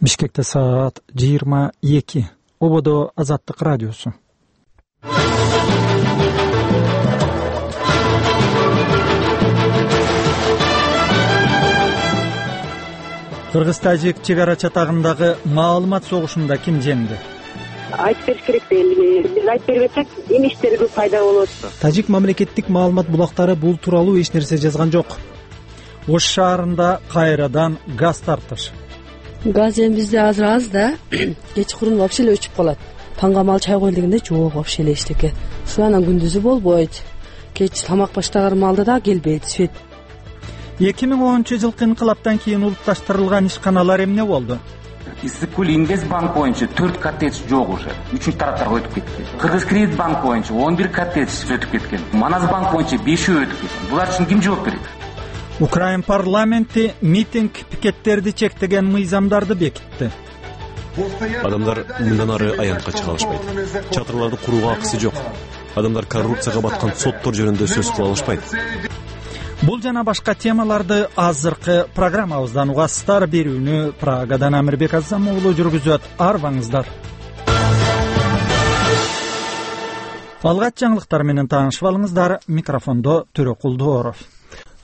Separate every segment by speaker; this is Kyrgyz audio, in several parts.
Speaker 1: Бишкекте саат 22. Ободо Азаттык радиосу. Кыргыз-Тажик чек ара чатагындагы маалымат согушунда ким жеңди?
Speaker 2: Айтып бериш керек дейли. Биз айтып бербесек, эмиштер көп пайда болот.
Speaker 3: Тажик мамлекеттик маалымат булактары бул тууралуу эч нерсе жазган жок.
Speaker 1: Ош шаарында кайрадан газ тартыш.
Speaker 4: Газ эми бизде азыр аз да, кечкурун вообще эле өчүп калат. Таңга мал чай коелу дегенде жок, вообще эле эчтеке. Анан күндүзү болбойт. Кеч тамак баштаган маалда да келбейт свет.
Speaker 1: 2010-жылкы инкылаптан кийин улутташтырылган ишканалар эмне болду?
Speaker 5: Иссык-Көл Инвестбанк боюнча 4 коттедж жок уже. 3-тараптарга өтүп кетти. Кыргыз-Кредитбанк боюнча 11 коттедж өтүп кеткен. Маназбанк боюнча 5 өтүп кеткен. Булар үчүн ким жооп берет?
Speaker 1: Украин парламенти митинг пикеттерди чектеген мыйзамдарды бекитти.
Speaker 6: Адамдар мындан ары аянтка чыга алышпайт. Чатырларды курууга акысы жок. Адамдар коррупцияга баткан соттор жөнүндө сөз кыла алышпайт.
Speaker 1: Бул жана башка темаларды азыркы программабыздан угасыздар. Берүүнү Прагадан Амирбек Азам уулу жүргүзөт. Арбаңыздар. Алгач жаңылыктар менен таанышып алыңыздар. Микрофондо Төрөкул Дооров.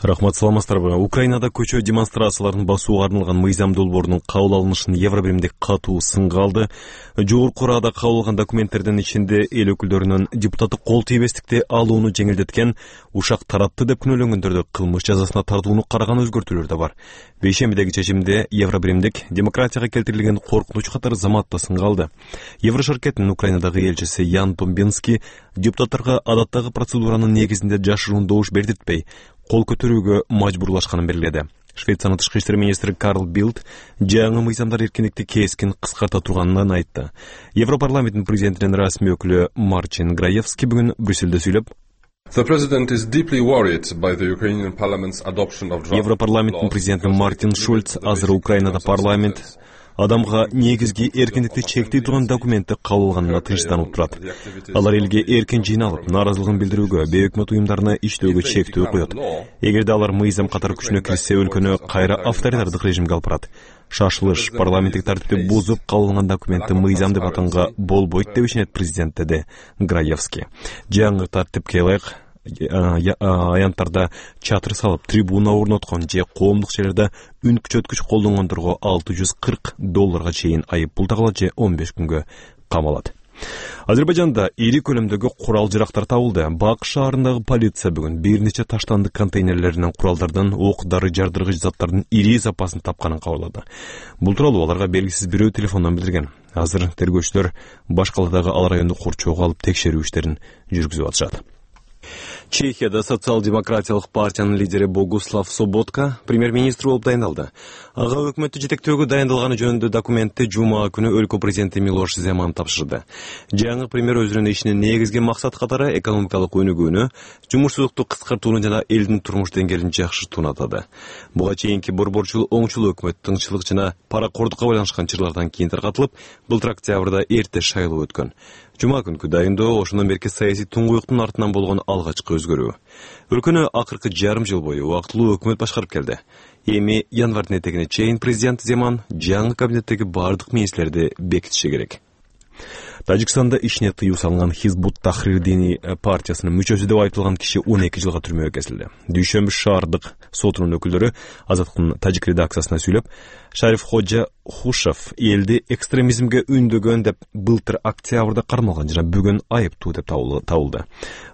Speaker 6: Рахмат, саламатсыздарбы. Украинада көчө демонстрацияларын басууга арналган мыйзам долбоорунун кабыл алынышын Евробиримдик катуу сынга алды. Жогорку Рада кабыл алган документтердин ичинде эл өкүлдөрүнүн депутаттык кол тийбестикти алууну жеңилдеткен, ушак таратты деп күнөөлөнгөндөрдү кылмыш жазасына тартууну караган өзгөртүүлөр да бар. Бейшембидеги чечимде Евробиримдик демократияга келтирилген коркунуч катары заматта сынга алды. Еврошеркеттин Украинадагы элчиси Ян Томбинский депутаттарга адаттагы процедуранын негизинде жашыруун добуш бердиртпей, кол көтөрүүгө мажбурлашканын белгиледи. Швециянын тышкы иштер министри Карл Билд жаңы мыйзамдар эркиндикти кескин кыскарта турганын айтты. Европарламенттин президентинин расмий өкүлү Марчин Граевский бүгүн Брюссельде сүйлөп, Европарламенттин президенти Мартин Шульц азыр Украинада парламент адамга негизги эркиндикти чектей турган документти кабыл алганына тынчтанып турат. Алар элге эркин жыйналып, нааразылыгын билдирүүгө, бейөкмөт уюмдарына иштөөгө чектөө коет. Эгерде алар мыйзам катары күчүнө кирсе, өлкөнү кайра авторитардык режимге алып барат. Шашылыш, парламенттик тартипти бузуп кабыл алган документти мыйзам деп атанга болбойт деп ишенет президент, деди Граевский. Жаңы тартипке ылайык аянттарда чатыр салып, трибуна орноткон же коомдук жерлерде үн күчөткүч колдонгондорго $640 чейин айып пул тагылат же 15 күнгө камалат. Азербайжанда ири көлөмдөгү курал жарактар табылды. Бак шаарындагы полиция бүгүн бир нече таштандык контейнерлеринен куралдардын, ок дары жардыргыч заттардын ири запасын тапканын кабарлады. Бул тууралуу аларга белгисиз бирөө телефондон билдирген. Азыр тергөөчүлөр баш каладагы ал районду корчоого алып текшерүү иштерин жүргүзүп атышат. Чехияда социал-демократиялык партиянын лидери Богуслав Соботка премьер-министр болуп дайындалды. Ага өкмөттү жетектөөгө дайындалганы жөнүндө документти жума күнү өлкө президенти Милош Земан тапшырды. Жаңы премьер өзүнүн ишинин негизги максат катары экономикалык өнүгүүнү, жумушсуздукту кыскартууну жана элдин турмуш деңгээлин жакшыртууну атады. Буга чейинки борборчул оңчул өкмөт тынччылык жана паракордукка байланышкан чырлардан кийин таркатылып, былтыр октябрда эрте шайлоо өткөн. Жума күнкү дайындоо ошондон берки саясий туңгуюктун артынан болгон алгачкы өзгөрүү. Өлкөнү акыркы жарым жыл бою убактылуу өкмөт башкарып келди. Эми январдын этегине чейин президент Земан жаңы кабинеттеги бардык министрлерди бекитиши керек. Тажикстанда ишине тыюу салынган Хизбут Тахрир дини партиясынын мүчөсү деп айтылган киши 12 жылга түрмөгө кесилди. Дүйшөмбү шаардык сотунун өкүлдөрү Азаттыктын тажик редакциясына сүйлөп, Шариф Ходжа Хушев элди экстремизмге үндөгөн деп былтыр октябрда кармалган жана бүгүн айыптуу деп табылды.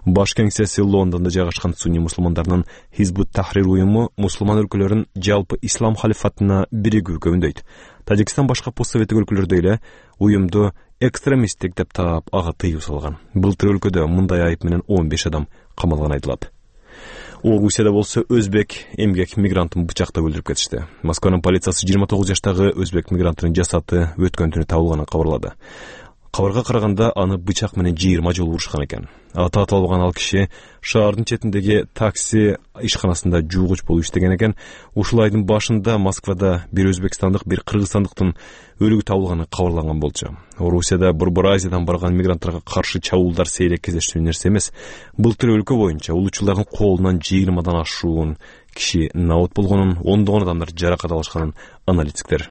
Speaker 6: Баш кеңсеси Лондондо жайгашкан сунни мусулмандарынын Хизбут Тахрир уюму мусулман өлкөлөрүн жалпы ислам халифатына биригүүгө үндөйт. Тажикстан башка постсоветтик өлкөлөрдө эле уюмду экстремисттик деп таап ага тыюу салган. Былтыр өлкөдө мындай айып менен 15 адам камалган айтылат. Орусияда болсо өзбек эмгек мигрантын бычактап өлтүрүп кетишти. Москванын полициясы 29 жаштагы өзбек мигранттын жасаты өткөн түнү табылганын кабарлады. Кабарга караганда аны бычак менен 20 жолу урушкан экен. Аты аталбаган ал киши шаардын четиндеги такси ишканасында жуугуч болуп иштеген экен. Ушул айдын башында Москвада бир өзбекстандык, бир кыргызстандыктын өлүгү табылганы кабарланган болчу. Орусияда Борбор Азиядан барган мигранттарга каршы чабуулдар сейрек кездештүү нерсе эмес. Былтыр өлкө боюнча улуучулардын колунан 20дан ашуун киши наот болгонун, ондогон адамдар жаракат алышканын аналитиктер